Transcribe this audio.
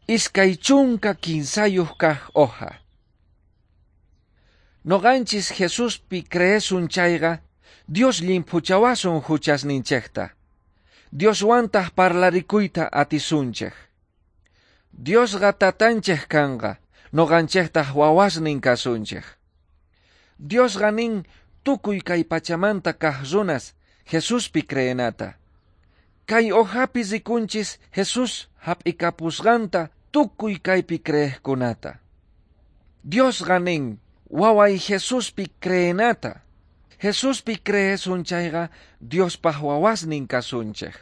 23 kaq hoja. Noqanchis Jesuspi creesun chayqa, Dios llimphuchawasun huchasninchikta. Dioswantaq parlarikuyta atisunchik. Diosqa tatanchik kanqa, noqanchiktaq wawasnin kasunchik. Diosqa nin tukuy kay pachamanta kaq runas Jesuspi creenata. Kay hojapi rikunchis Jesus hap'ikapusqanta tukuy kaypi creeqkunata. Diosqa nin waway Jesuspi creenata. Jesuspi creesun chayqa Diospaq wawasnin kasunchik.